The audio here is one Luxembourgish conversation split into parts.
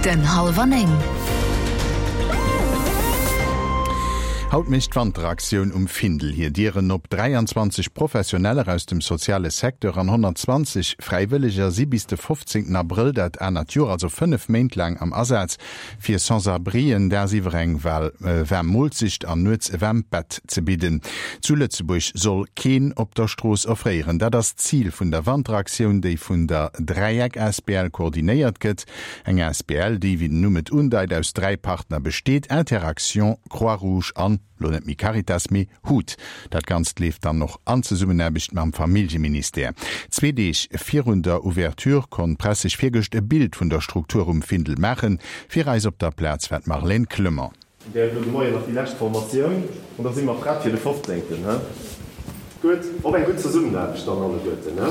Den Hallwer 9. Haut mécht d'Wanteraktioun um Findel hir Dieren op. 23 Professioneller aus dem soziale Secteur an 120 Fräiwëlleger si bis de 15 Abrëll dat anert Joer, also 5 Méint laang, am Asaz, fir Sans-abrien dagsiwwer eng waarm Moolzecht an nuets e waarmt Bett ze bidden. Zu Lëtzebuerg soll keen op der Strooss erfréieren. Dat ass d'Zil vun der Wanteraktioun, déi vun der Dräieck asbl koordinéiert gëtt. Eng asbl, déi, wéi den Numm et undeit, aus 3 Partner besteet, Interaction, Croix-Rouge an, lo net méi Caritas, mee hut. Dat Ganzt leeft dann och an Zesummenaarbecht mam Familljeministère. Zwee Deeg virun der Ouverture konnt d'Press sech virgëscht e Bild vun der Struktur um Findel maachen. Fir eis op der Plaz war d'Marlène Clement. Där huet elo de Moien nach déi lescht Formatioun an da si mer prett fir de 15. He? Gutt, op eng gutt Zesummenaarbecht dann alleguerten, he?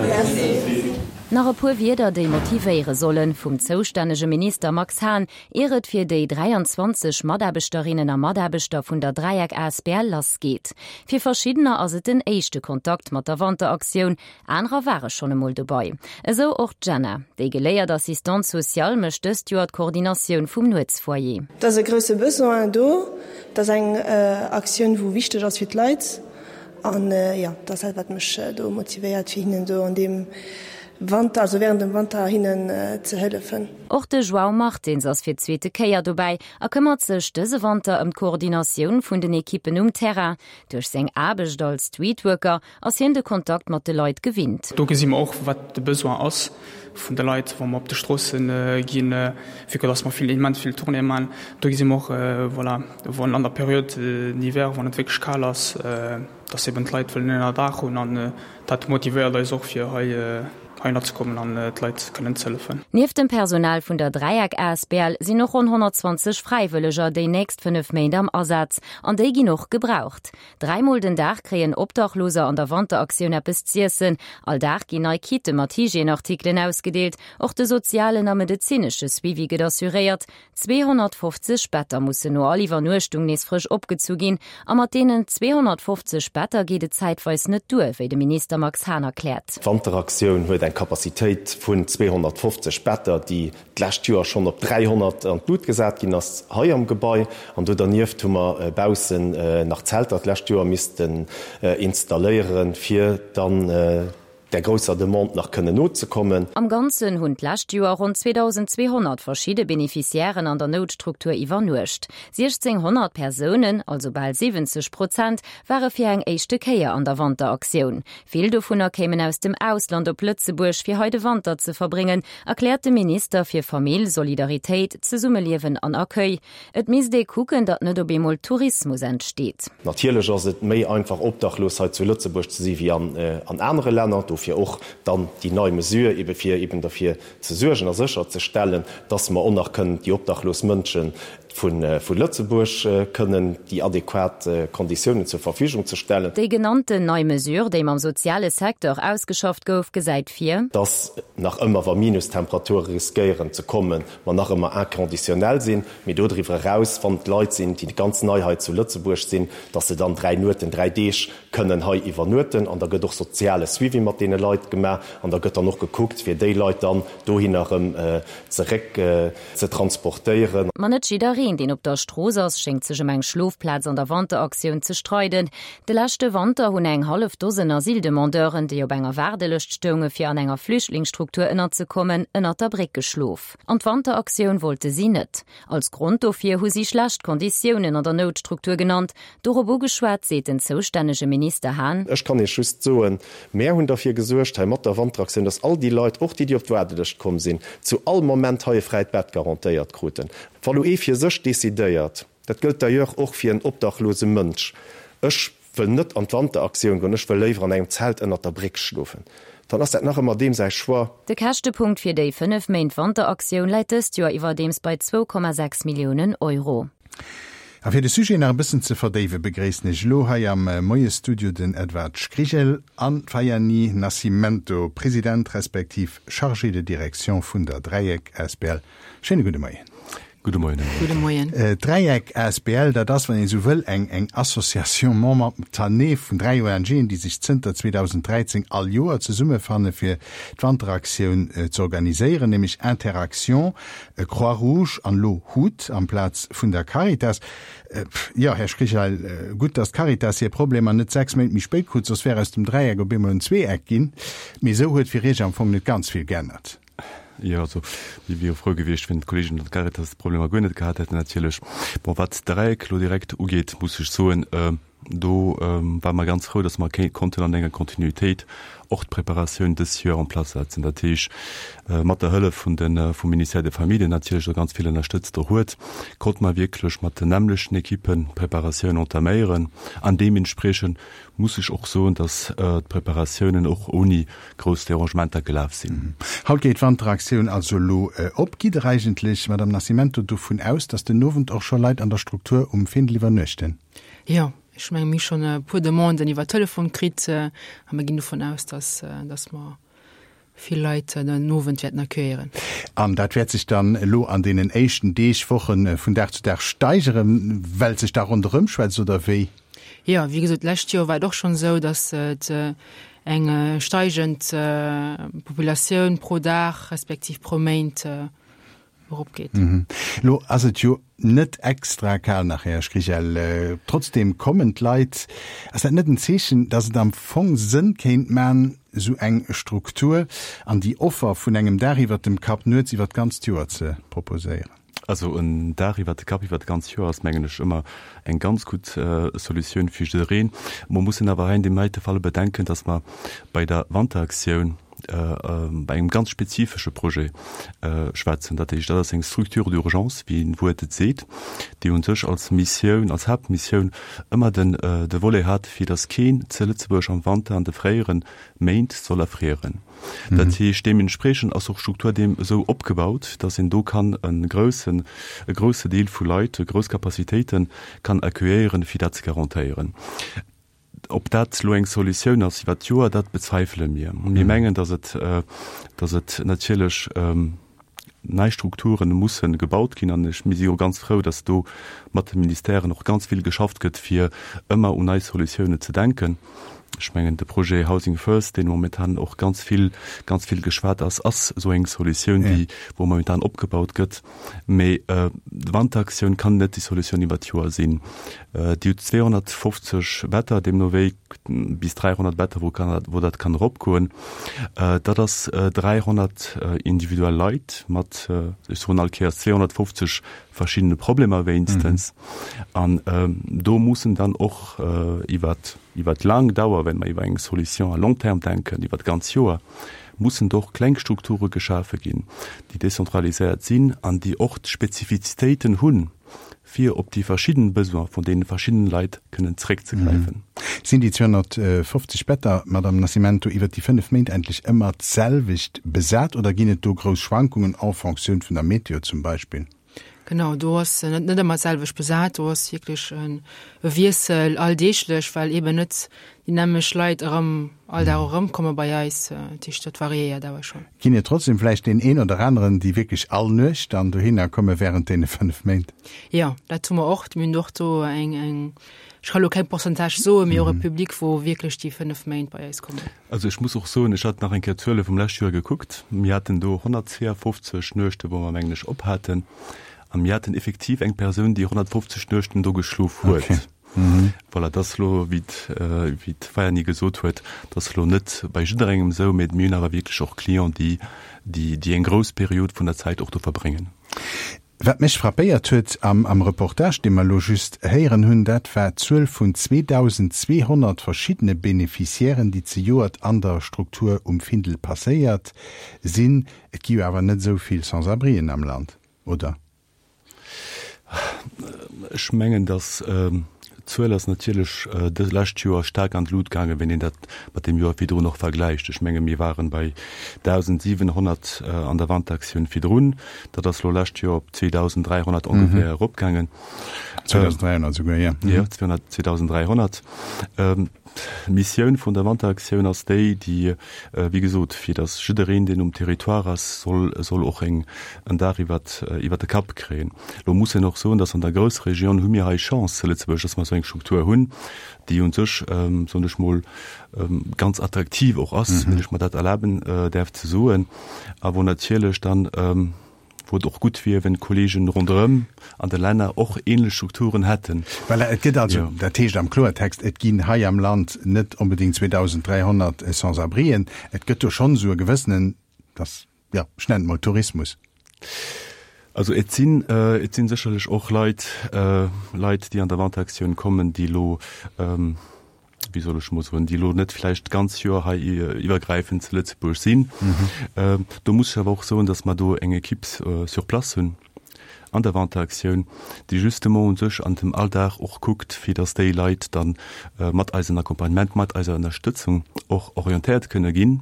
Merci. Nach e puer Wierder, déi motivéiere sollen, vum zoustännege Minister Max Hahn, ier et fir déi 23 Mataarbechterinnen a Mataarbechter vun der Dräieck asbl lassgeet. Fir verschiddener ass et den éischte Kontakt mat der Wanteraktioun, Anerer ware schonn emol dobai. Esou och d'Jenna. Déi geléiert Assistante sociale mécht dëst Joer d'Koordinatioun vum Nuetsfoyer. Et ass e grousse Besoin do. Et ass eng Aktioun, wou wichteg ass fir d'Leit. An jo, dat ass dat, wat mech do motivéiert, fir hinnen do an deem Wanter, also wärend dem Wanter hinnen ze hëllefen. Och de João Martins ass fir d'zweete Kéier dobäi a këmmert sech dëse Wanter ëm d'Koordinatioun vun den Ekippen um Terrain. Duerch seng Aarbecht als Streetworker Ass hien de Kontakt mat de Leit gewinnt? Do gesi mer och, wat de Besoin ass vun de Leit, wa mer op de Stroosse ginn, vu que dass mer vill, immens vill Tournéeë maachen. Do gesi mer och, voilà, wann an der Période d'hiver, wann et wierklech kal ass, dass eben d'Leit wëllen en Ënnerdaach hunn an dat motivéiert eis och, fir hei heihinner ze kommen an d'Leit kënnen ze hëllefen. Nieft dem Personal vun der Dräieck asbl sinn och ronn 120 Fräiwëlleger déi nächst 5 Méint am Asaz an déi ginn och gebraucht. Dräimol den Dag kréien Obdachloser an der Wanteraktioun eppes z'iessen. All Dag ginn nei Kitte mat Hygièneartikelen ausgedeelt. Och de sozialen a medezinesche Suivi gëtt assuréiert. 250 Better mussen no all Iwwernuechtung nees frësch opgezu ginn. A mat deenen 250 Better geet et zäitweis net duer, wéi de Minister Max Hahn erkläert. D'Wanteraktioun huet eng Capacitéit vun 250 Better, déi d'lescht Joer schonn op 300 an d'Lut gesat ginn ass hei am Gebai. An do dernieft hu mer baussen nach Zelter d'lescht Joer missten installéieren, fir dann där grousser Demande nach kënnen nozekommen. Am Ganzen hunn d'lescht Joer ronn 2.200 verschidde Beneficiairen an der Noutstruktur iwwernuecht. 1.600 Persounen, also bal 70 Prozent, ware fir eng éischte Kéier an der Wanteraktioun. Vill dovunner kéimen aus dem Ausland op Lëtzebuerg, fir hei de Wanter ze verbréngen, erkläert de Minister fir Famill, Solidaritéit, Zesummeliewen an Accueil. Et misst ee kucken, datt net op eemol Tourismus entsteet. Natierlech ass et méi einfach obdachlos hei zu Lëtzebuerg ze si wéi an anere Länner. Dofir och dann déi nei Mesure, ebe fir eben derfir ze suergen a sécherzestellen, dass mer och nach kënnen déi obdachlos Mënschen vu Lëtzebuerg kënnen déi adequat Konditiounen zur Verfügung ze stellen. Déi genannten nei Mesure, déi mam soziale Secteur ausgeschafft gouf, gesäit vir. Dass nach ëmmer, wa Minustemperature riskéieren ze kommen, mer nach ëmmer inconditionnel sinn, mee dodriwwer eraus, wann et Leit sinn, déi ganz nei hei zu Lëtzebuerg sinn, dass se dann 3 Nueten, 3 Deeg kënnen hei iwwernueten. An da gëtt och soziale Suivi mat deene Leit gemaach an da gëtt dann och gekuckt, fir déi Leit dann dohinner erëm zeréck ze transportéieren. Ma net jiddereen, deen op der Strooss ass, schéngt sech ëm eng Schlofplaz an der Wanteraktioun ze streiden. De leschte Wanter hunn eng hallef Dosen Asyldemandeuren, déi op enger Waardelëscht stounge fir an enger Flüchtlingsstruktur ënnerzekommen, ënnert der Bréck geschlof. An d'Wanteraktioun wollte si net. Als Grond dofir hu si schlecht Konditiounen an der Noutstruktur genannt. Dorop ugeschwat, seet den zoustännege Minister Hahn. Ech kann Iech just soen, Mär hunn derfir gesuergt hei mat der Wanteraktioun, dass all déi Leit, och déi, déi op d'Waardelëscht komm sinn, zu all Moment hei e fräit Bett garantéiert kruten. Wa lo ee fir sech decidéiert, dat gëllt d'ailleurs och fir en obdachlose Mënsch, ech wëll net an d'Wanteraktioun goen, ech wëll léiwer an engem Zelt ënnert der Bréck schlofen, dann ass dat nach ëmmer deem säi Choix. De Käschtepunkt fir déi 5 Méint Wanteraktioun läit dëst Joer iwwerdeems bei 2,6 Milliounen Euro. A fir de Sujet nach e bëssen ze verdéiwe begréissen ech elo hei am Moiesstudio den Edward Škrigel an d'Fayani Nascimento, President respektiv Chargé de direction vun der Dräieck asbl. Schéine gudde Moien. Gudde Moien, Här Gudde Moien. D'Dräieck asbl, dat ass, wann een esou wëll, eng eng Association momentanée vun 3 ONGen, déi sech zënter 2013 all Joer zesummefanne fir d'Wanteraktioun ze organiséieren, nämlech Interaction, Croix-Rouge an elo hut amplaz vun der Caritas. Jo, Här Schrichel, gutt, datt d'Caritas hir Problemer net 6 Méint méi spéit krut, soss wär aus dem Dräieck op eemol en Zweeeck ginn. Mee esou huet fir Iech am Fong net ganz vill geännert. Jo, also mir wiere frou gewiescht, wenn d'Kollegen an d'Caritas d'Problemer guer net gehat hätten natierlech. Bon, wat d'Dräieck elo direkt ugeet, muss ech soen, do ware mer ganz frou, datt mer konnten an enger Kontinuitéit och d'Preparatioun dës Joer en place setzen. Dat heesch, mat der Hëllef vun de vum Ministère des Familles, deen natierlech do ganz vill ënnerstëtzt och huet, konnte mer wierklech mat den nämmlechten Ekippen d'Preparatioun entaméieren an deementspriechend muss ech och soen, dass d'Preparatiounen och ouni grouss Derangementer gelaf sinn. Haut geet d'Wanteraktioun also elo op. Gitt Der eigentlech, Madame Nascimento, dovun aus, dass den Owend och scho Leit an der Struktur um Findel iwwernuechten? Jo, ech menge mir hu schonn e puer Demanden iwwer Telefon kritt a mir ginn dovun aus, dass dass mer vill Leit den Owend wäerten accueillieren. An dat wäert sech dann elo an deenen éischten Deeg, Wochen vun Dag zu Dag steigeren, well et sech da ronderëm schwätzt, oder wéi? Jo, wéi gesot, d'lescht Joer war et och schonn esou, datt et eng steigend Populatioun pro Dag respektiv pro Méint eropgeet. Elo ass et jo net extra kal nach, Här Schrichel. Trotzdem kommen d'Leit. Ass dat net en Zeechen, datt et am Fong Sënn kéint man, esou eng Struktur an déi Offer vun engem Daach iwwert dem Kapp nuets iwwert d'ganzt Joer ze proposéieren? Also en Daach iwwert de Kapp iwwert d'ganzt Joer ass, mengen ech, ëmmer eng ganz gutt Solutioun fir jiddereen. Mer mussen awer hei an deem heite Fall bedenken, datt mer bei der Wanteraktioun bei engem ganz spezifesche Projet schwätzen. Dat heescht, dat ass eng Structure d'urgence, wéi d'Wuert et seet, déi u sech als Missioun, als Haaptmissioun ëmmer den de Volet hat, fir datt keen ze Lëtzebuerg am Wanter an de fréiere Méint soll erfrieren. Dat heescht, deementspriechend ass och d'Struktur deem esou opgebaut, datt een do kann e groussen, e grousse Deel vu Leit, grouss Capacitéite kann accueillieren, fir dat ze garantéieren. Ob dat elo eng Solutioun ass iwwert d'Joer, dat bezweifele mir. Mir mengen, datt et, datt et natierlech nei Strukture musse gebaut ginn. An ech, mir si jo ganz frou, datt do mat de Ministèren och ganz vill geschafft gëtt, fir ëmmer un nei Solutiounen ze denken. Ech mengen, de Projet Housing First, deen momentan och ganz vill, ganz vill geschwat ass, ass esou eng Solutioun, déi, wou momentan opgebaut gëtt. Mee d'Wanteraktioun kann net déi Solutioun iwwer d'Joer sinn. Dir hutt 250 Better, deemno wéi bis 300 Better, wou kann, wou dat kann eropgoen. Dat ass 300 individuell Leit mat, ech soen all Kéiers, 250 verschiddene Problemer wéinstens. An do mussen dann och iwwer, iwwer laang Dauer, wenn mer iwwer eng Solution à long terme denken, iwwer d'ganz Joer, mussen do och kleng Strukture geschafe ginn, déi dezentraliséiert sinn an déi och d'Spezifizitéiten hunn, fir op déi verschidden Besoin vun deene verschiddenen Leit kënnen zréckzegräifen. Sinn déi 250 Better, Madame Nascimento, iwwert déi 5 Méint endlech ëmmer d'selwecht besat oder ginn et do grouss Schwankungen en Fonctioun vun der Meteo zum Beispill? Genau, do ass net net ëmmer d'selwecht besat. Do ass wierklech e Wiessel alldeeglech, well eeben net déi nämmlecht Leit erëm all Dag erëmkomme bei eis. Dat heescht, dat variéiert awer schonn. Ginn et trotzdem vläicht deen een oder aneren, déi wierklech all Nuecht dann dohinner komme während deene 5 Méint? Jo, dat hu mer och. Mir hunn och do eng, eng, ech ka lo keng Pourcentage soen, mee och e Public, wou wierklech déi 5 Méint bei eis kommen. Also ech muss och soen, ech hat nach eng Kéier d'Zuele vum lescht Joer gekuckt. Mir haten do 152 Nuechte wou mer, mengen ech, op haten. A mir haten effektiv eng Persoun, déi 150 Nuechten do geschlof huet. Voilà, dat ass elo, wéi d'Vaiani gesot huet, dat ass elo net bei jidderengem esou, mä mir hunn awer wierklech och Clients, déi, déi eng grouss Period vun der Zäit och do verbréngen. Wat mech frappéiert huet am Reportage, dee mer elo just héieren hunn, dat war d'Zuel vun 2.200 verschiddene Beneficiairen, déi zejoert an der Struktur um Findel passéiert sinn. Et gi jo awer net esou vill Sans-abrien am Land, oder? Ech mengen, datt D'Zuel ass natierlech dës lescht Joer staark an d'Lut gaangen, wenn een dat mat deem Joer virdrun och vergläicht. Ech menge mir waren bei 1.700 an der Wanteraktioun virdrun. Dat ass elo lescht Joer op 2.300 ongeféier eropgaangen. 2.300 esouguer, jo. Jo, 2.300. D'Missioun vun der Wanteraktioun ass déi, déi, wéi gesot, fir datt jiddereen, deen um Territoire ass, soll, soll och eng, en Daach iwwert, iwwert de Kapp kréien. Elo muss een och soen, datt an der Groussregioun hu mir hei Chance zu Lëtzebuerg, datt mer esou eng Struktur hunn, déi u sech, soen ech mol, ganz attraktiv och ass, wann ech mer dat erlaben däerf ze soen, a wou natierlech dann, wou et och gutt wier, wenn d'Kollegen ronderëm an de Länner och ähnlech Strukturen hätten. Voilà, et gëtt also, dat heescht am Kloertext, et ginn hei am Land net onbedéngt 2.300 Sans-abrien. Et gëtt do schonn esou e gewëssenen, dass, jo, ech nennen et mol Tourismus. Also et sinn, et sinn sécherlech och Leit, Leit, déi an der Wanteraktioun kommen, déi elo, wéi soll ech mol soen, déi elo net vläicht d'ganz Joer hei iwwergräifend zu Lëtzebuerg sinn. Do muss ech awer och soen, datt mer do eng Equipe sur place hunn an der Wanteraktioun, déi justement u sech an dem Alldag och kuckt, fir datt déi Leit da mat eisem Accompagnement, mat eiser Ënnerstëtzung och orientéiert kënne ginn,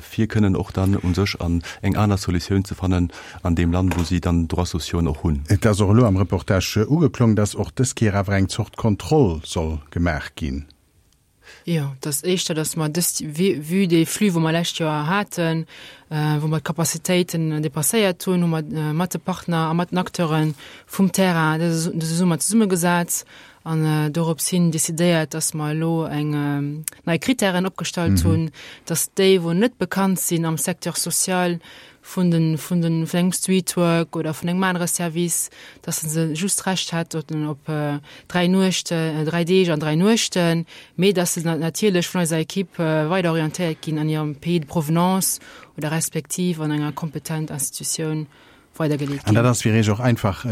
fir kënnen och dann u sech an eng aner Solutioun ze fannen, an deem Land, wou si dann Droits sociaux och hunn. Et ass och elo am Reportage ugeklong, dass och dës Kéier awer eng Zort Kontroll soll gemaach ginn. Jo, et ass éischter, dass mer dëst, vue dee Flux, wou mer lescht Joer haten, wou mer d'Capacitéiten dépasséiert hunn, hu mer mat de Partner a mat den Acteure vum Terrain dëse Summer zesummegesat an dorops hin decidéiert, dass mer elo eng nei Kritären opgestallt hunn, dass déi, wou net bekannt sinn am Secteur social, vun den, vun den, vun engem Streetwork oder vun engem anere Service, dass se just Recht hätten op 3 Nuechten, 3 Deeg an 3 Nuechten, mee dass se natierlech vun eiser Equipe weider orientéiert ginn an hirem Pays de provenance oder respektiv an enger kompetent Institutioun weidergeleet ginn. An dat ass fir Iech och einfach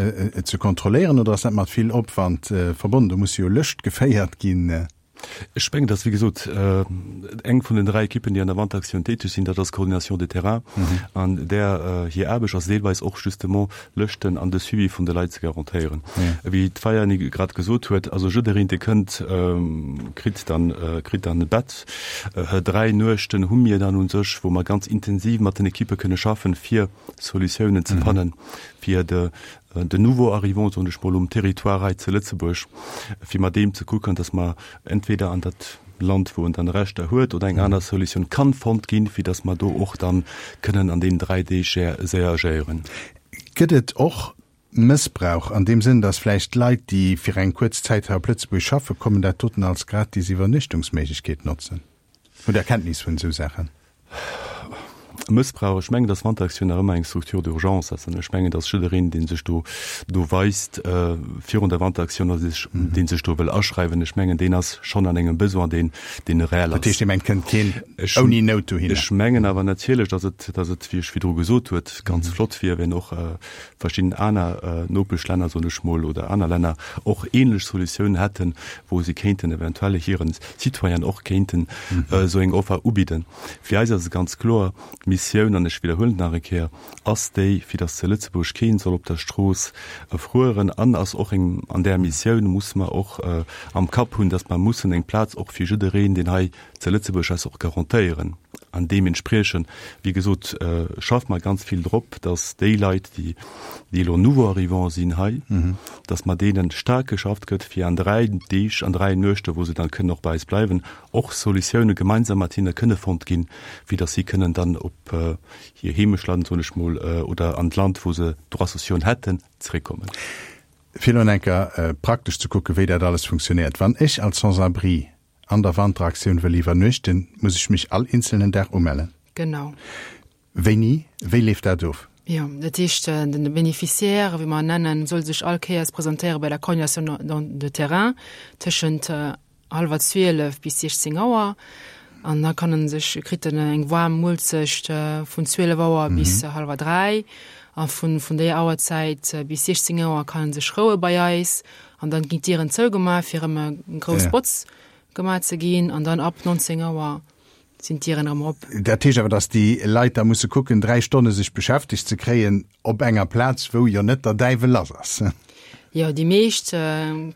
ze kontrolléieren oder ass dat mat vill Opwand verbonnen? Do muss jo Lëscht geféiert ginn. Ech mengen, dass, wéi gesot, eng vun den 3 Ekippen, déi an der Wanteraktioun täteg sinn, dat ass d'Coordination de terrain. An där hir Aarbecht ass deelweis och justement Lëschten an de Suivi vun de Leit ze garantéieren. Wéi d'Vaiani grad gesot huet, also jiddereen, dee kënnt, kritt dann, kritt dann e Bett. 3 Nuechten hu mir dann u sech, wou mer ganz intensiv mat den Ekippe kënne schaffen, fir Solutiounen ze fannen, fir de den Nouveau arrivant, soen ech mol, um Territoire hei zu Lëtzebuerg, fir mat deem ze kucken, dass mer entweder an dat Land, wou en dann Rechter huet, oder eng aner Solutioun kann fonnt ginn, fir dass mer do och dann kënnen an deenen 3 Deeg séier agéieren. Gëtt et och Mëssbrauch an deem Sënn, dass vläicht Leit, déi fir eng kuerz Zäit hei op Lëtzebuerg schaffe kommen, dat doten als gratis Iwwernuechtungsméiglechkeet notzen? Hutt Der Kenntnis vun esou Saachen? Mëssbrauch, ech mengen, dass d'Wanteraktioun nach ëmmer eng Structure d'urgence ass. An ech mengen, dass jiddereen, dee sech do do weist virun der Wanteraktioun oder sech, dee sech do wëll aschreiwen, ech mengen, deen ass schonn an engem Besoin, deen, deen réel ass. Dat heescht, Dir mengt, kënnt keen ouni Nout dohinner? Ech mengen awer natierlech, dass et, dass et, wéi ech virdru gesot huet, ganz flott wier, wenn och verschidden aner Nopeschlänner, soen ech mol, oder aner Länner och ähnlech Solutiounen hätten, wou se kéinten eventuell hiren Citoyenen och kéinten esou eng Offer ubidden. Fir eis ass et ganz kloer, d'Missioun, an ech widderhuelen et nach eng Kéier, ass déi, fir datt zu Lëtzebuerg keen soll op der Strooss erfrueren an ass och eng, an där Missioun muss mer och am Kapp hunn, datt mer mussen eng Plaz och fir jiddereen, deen hei zu Lëtzebuerg ass, och garantéieren. An deementspriechend, wéi gesot, schaffe mer ganz vill drop, datt déi Leit, déi déi elo Nouveaux arrivants sinn hei, datt mat deene staark geschafft gëtt, fir an 3 Deeg an 3 Nuechte, wou se dann kënnen och bei eis bleiwen, och Solutioune gemeinsam mat hinne kënne fonnt ginn, fir datt si kënnen dann op hir Heemechtland, soen ech mol, oder an d'Land, wou se Droits sociaux hätten, zeréckkommen. Fir elo enker praktesch ze kucken, wéi dat alles funktionéiert, Wann ech als Sans-abri an der Wanteraktioun wëll iwwernuechten, muss ech mech all eenzelnen Dag umellen? Genau. Wéini? Wéi leeft dat of? Jo, dat heescht, den Bénéficiaire, wéi mer en nennen, soll sech all Kéiers presentéiere bei der Coordination de terrain tëschent hallwer 12 bis 16 Auer. An da kann en sech, kritt en eng waarm Muelzecht vun 12 Auer bis hallwer 3. A vun, vun déier Auerzäit bis 16 Auer kann en sech roue bei eis. An dann ginn d'Dieren zougemaach, fir erëm eng grouss Botz gemaach ze ginn. An dann ab 19 Auer sinn d'Dieren erëm op. Dat heescht awer, datt déi Leit da musse kucken, 3 Stonne sech beschäftegt ze kréien op enger Plaz, wou jo net der Däiwel lass ass. Jo, déi meescht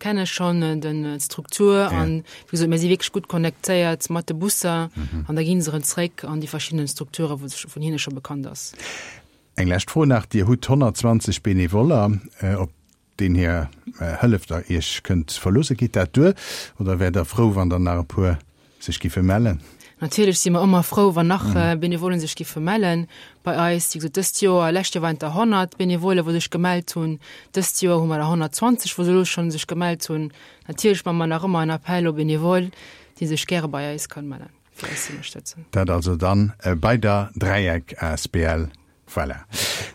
kenne schonn d'Struktur an, wéi gesot, mir si wierklech gutt connectéiert mat de Busser an da gi se erëm zréck an déi verschidden Strukture, wou se vun hinne scho bekannt ass. Eng lescht Fro nach, Dir hutt 120 Benevoller. Op. deen hir Hëllef der Iech kënnt verloossen. Geet dat duer oder wäert Der frou, wann der nach e puer sech giffe mellen? Natierlech si mer ëmmer frou, wann nach Benevolen sech giffe mellen bei eis. Wéi gesot, dëst Joer, lescht Joer waren et der 100 Benevolen, wou sech gemellt hunn. Dëst Joer hu mer der 120, wou se elo schonn sech gemellt hunn. Natierlech maache mer nach ëmmer en Appel aux bénévoles, dee sech gäre bei eis kann mellen, fir eis ze ënnerstëtzen. Dat also dann bei der Dräieck asbl. Voilà.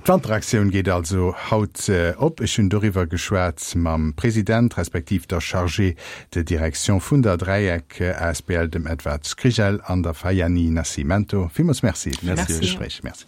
D'Wanteraktioun geet also haut op. Ech hunn doriwwer geschwat mam President, respektiv der Chargée de direction vun der Dräieck asbl, dem Edward Skrijelj an der Fayani Nascimento. Villmools Merci fir d'Gespréich. Merci.